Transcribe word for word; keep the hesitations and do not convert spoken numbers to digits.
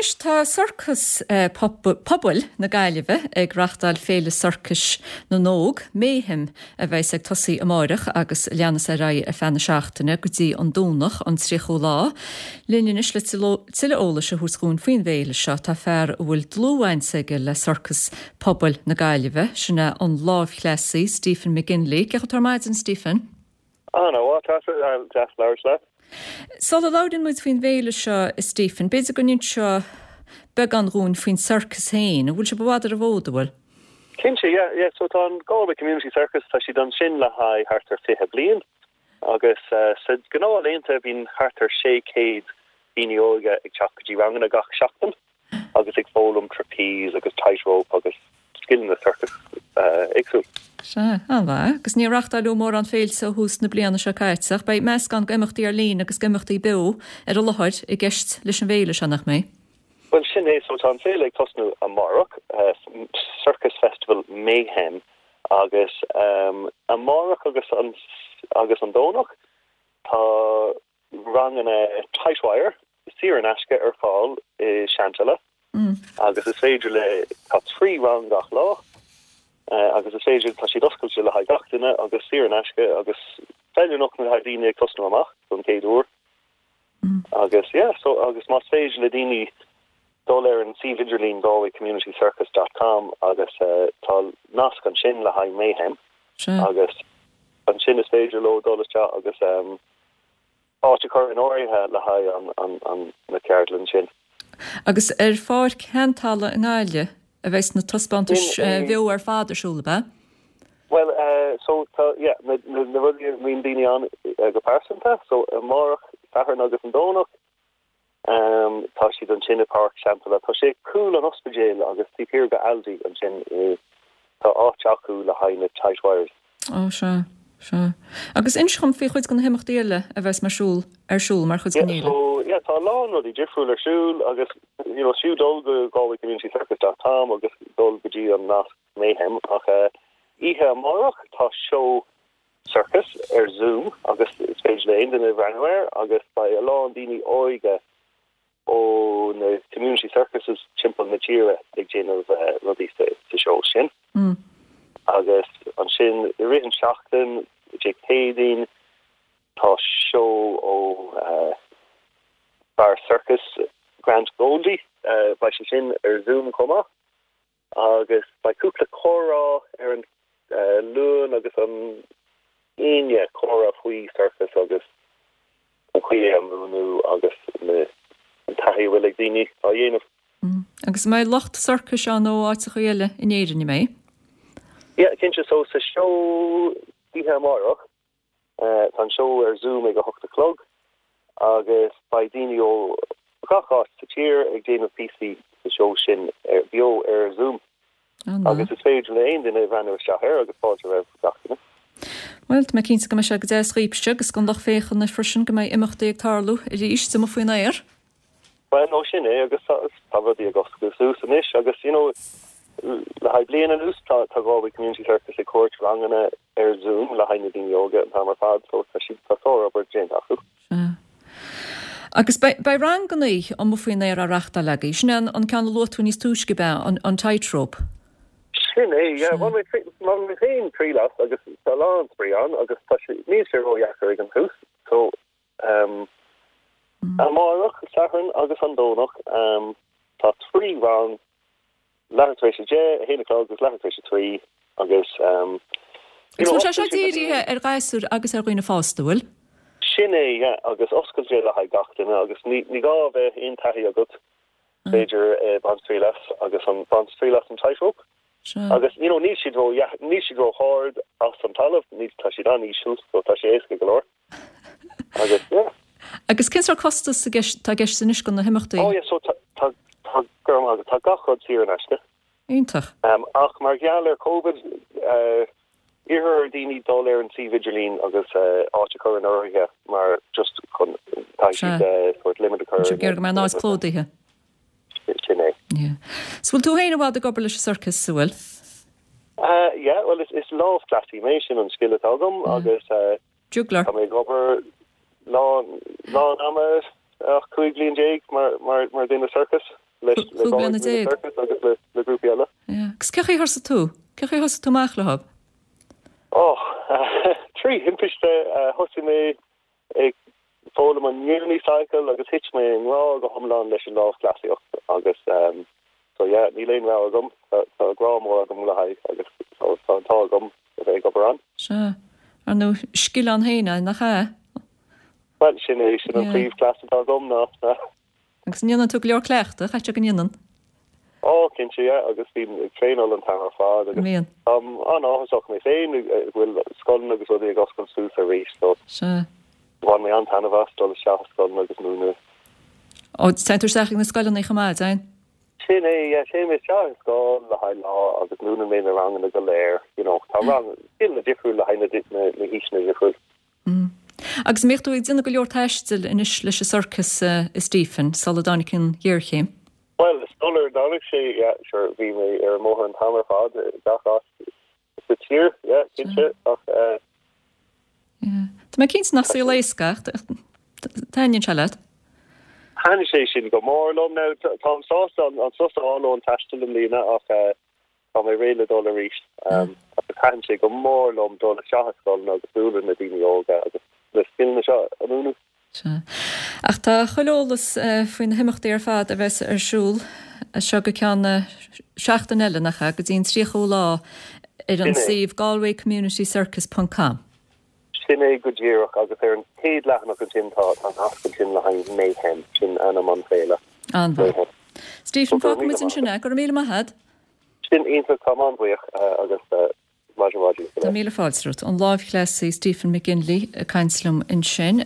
Anois tá Sorcas Pobail na Gaillimhe ag reáchtáil Féile Sorcais na nÓg, Mayhem, a bheas ag tosaí amárach agus leanas ar aghaidh ar feadh na seachtaine go dtí an Domhnach an tríochú lá. Linn anois le tuilleadh eolais a thabhairt dúinn faoin bhféile seo tá fear a bhfuil dlúthbhaint aige le Sorcas Pobail na Gaillimhe, sin é an lámhchleasaí Stephen McGinley. Cén chaoi atá ar maidin Stephen? An-mhaith deas labhairt leat. Sula labhraíonn muid faoin bhféile seo Stephen, b'fhéidir go n-inseofá beagán dúinn faoin sorcas féin, an bhfuil sé i bhfad ar an bhfód an bhfuil? Cinnte, yeah, yeah, so tá an Galway Community Circus tá siad ansin le haghaidh thart ar fiche bliain agus uh, sa gnáthlaethanta bíonn thart ar sé céad daoine óga ag teacht go dtí ranganna gach seachtain agus ag foghlaim trapeze agus tightrope agus scileanna circus uh, éagsúil. Sea, an-mhaith, agus níor reáchtáladh mórán féilte ó thús na bliana seo caite, ach beidh meascán d'imeachtaí ar líne agus d'imeachtaí beo ar an láthair i gceist leis an bhféile seo nach mbeidh. Well sin é so tá an féile ag tosnú amárach uh, Circus Festival Mayhem agus um, amárach agus an agus an Domhnach tá ranganna tightwire saor in aisce ar fáil i Seanteala mm. agus is féidir le tá trí rang gach lá uh, agus is féidir tá siad oscailte le haghaidh gach duine agus saor in aisce agus feiliúnach le haghaidh daoine ag tosnú amach don chéad uair mm. agus yeah, so agus más féidir le daoine dul ar an suíomh idirlín galwaycommunitycircus.com agus uh, tá nasc ansin le haghaidh Mayhem agus ansin is féidir leo dul isteach agus um, áit a chur in áirithe le haghaidh an, an, an na ceardlann sin. Agus ar Pháirc Sheanteala i nGaillimh a bheas na taispeántais bheo ar fad ar siúl be? Well uh, so tá yeah, na, na, na rudaí bíonn daoine ann uh, go pearsanta, so amárach Satharn agus an Domhnach um, tá siad ansin i Páirc Sheanteala tá sé cúl an ospidéil agus taobh thiar de Aldi ansin uh, tá áit acu le haghaidh na tight wires. Ó sea sea. Agus inis dom faoi chuid de na himeachtaí eile a bheas mar siúl ar siúl mar chuid Yeah, den fhéile. so yeah, tá lán rudaí difriúil ar siúl agus you know, siú dul go galwaycommunitycircus.com agus dul go dtí an nasc Mayhem ach uh, oíche amárach tá seó circus ar Zoom agus is féidir le aon duine breathnú air agus beidh a lán daoine óga ó na community circuses timpeall na tíre ag déanamh uh, rudaí sa, sa seó sin. Mm. agus ansin i rith an seachtain Dé Céadaoin tá seó ó uh, bar circus Grant Goldie uh, beidh sé sin ar Zoom chomh maith agus beidh cúpla comhrá ar an uh, Luan agus an Aoine comhrá faoi circus agus an chaoi a múineadh agus na an taithí bhfuil ag daoine á dhéanamh. Mm. Agus mbeidh lucht sorcais ann ó áiteacha eile in Éirinn mé? Yeah, cinnte so sa seó oíche amárach uh, tá an seó ar Zoom ag a hocht a chlog agus beidh daoine ó gach áit sa tír ag déanamh píosaí sa seó sin ar beo ar Zoom agus is féidir le aon duine breathnú isteach air agus fáilte roimh gach duine. Well, tá mé cinnte go mbeidh sé go deas daoibhse agus don lucht féachana freisin go mbeidh imeachtaí ag tarlú arís amuigh faoin aer. Well no sin é agus tá rudaí ag oscailt suas anois agus you know, le haghaidh bliain anuas tá tá Galway Community Circus ag tabhairt ranganna ar Zoom le haghaidh na daoine óga an t-am ar fad so tá siad tá obair déanta acu. Agus beidh ranganna amuigh faoin aer á reáchtáil agaibh, sin an an ceann a luaigh tú níos túisce be an, an tightrope. Sin é bhain mé féin triail as agus tá lán spraoi ann agus tá sé níl sé ródheacair ag an tús so um, mm. amárach Satharn agus an Domhnach um, tá trí rang leathuair tar éis a deich a haon agus leathuair tar éis a trí agus um, Tá sé seo dírithe ar ghasúir agus ar dhaoine fásta bhfuil? Sin é yeah, agus oscailte le haghaidh gach duine agus ní ní gá bheith aon taithí agat féidir eh, baint triail as agus an baint triail as an tightrope. Agus you know, níl siad ró níl siad ró-ard as an talamh ní tá siad an-íseal so tá sé éasca go leor. Agus yeah. Agus cén sórt costas tá i gceist anois do na himeachtaí? Oh yeah, so tá tá tá tá gach rud saor in aisce. Iontach. Um, ach mar gheall ar COVID uh, iarrtar ar daoine dul ar an suíomh idirlín agus uh, áit a chur in áirithe mar just chun tá siad uh, sort limit a chur. Gur go mbeidh an áit plódaithe. Sin é. Yeah. So bhfuil tú féin i bhfad ag obair leis an sorcas sa bhfuil? Uh, yeah, well is, is lámhchleasaí mé sin an scil atá agam agus uh, Juggler. Tá mé ag obair lá lá ama ach cúig bliain déag mar mar mar duine circus. leis le Cúig bliana déag. Circus agus le le grúpaí eile. Yeah. Agus cén chaoi ar thosaigh tú? Cén chaoi ar thosaigh tú amach leo? Oh, trí thimpiste thosaigh mé ag foghlaim an unicycle agus thit mé i ngrá go hiomlán leis an lámhchleasaíocht agus um, so yeah, níl aon rogha agam tá grá mór agam le haghaidh agus so tá an t-ádh agam a bheith ag obair ann. Sea. Ar nó scil ann féin nach ea? Well sin é sin an Yeah. príomhchleas atá agam ná ná. Agus ndéanann tú go leor cleachta, chaite go ndéanann. Ó cinnte yeah, agus bím ag traenáil an t-am ar fad agus Mbíonn. um, an-áthasach mé féin go bhfuil scoileanna agus rudaí ag oscailt suas arís so Sea. bhain mé an-taitneamh as dul isteach scoileanna agus múineadh. Ó téann tú isteach na scoileanna chomh maith, an? Sin é yeah, téim isteach i scoil le haghaidh lá agus múineann mé na ranganna go léir, you know, tá rang scileanna difriúil le haghaidh na, na, na haoiseanna difriúil. Mm. Agus mbíodh tú ag déanamh go leor taistil anois leis an sorcas uh, Stephen, sula dtáinig an ghéarchéim. Well, sular dtáinig sé yeah, sure, bhí mé ar an mbóthar an t-am ar fad gach áit sa tír, yeah, cinnte ach uh, Yeah. Tá mé cinnte nach saol éasca, taitníonn sé leat? Thaitnigh sé sin go mór liom now táim sásta an an sos a fháil ón taisteal i mbliana ach uh, tá mé réidh le dul arís. Um, agus thaitin sé go mór liom dul isteach i scoil agus bualadh na daoine óga agus na scileanna seo a mhúineadh. Sea. Ach tá chuile eolas uh, faoi na himeachtaí ar fad a bheas ar siúl seo go ceann seachtain eile nach ea go dtí an tríochadú lá ar an Sin é. suíomh galwaycommunitycircus.com. Sin é go díreach agus ar an chéad leathanach ansin tá tá nasc ansin le haghaidh Mayhem sin ainm an féile. An-mhaith. Mayhem. Stephen Go raibh míle fágfaimid ansin é go raibh míle maith agat? Sin iontach tá an-bhuíoch uh, agus uh, maidin mhaith. Tá míle fáilte romhat an lámhchleasaí Stephen McGinley ag caint liom ansin.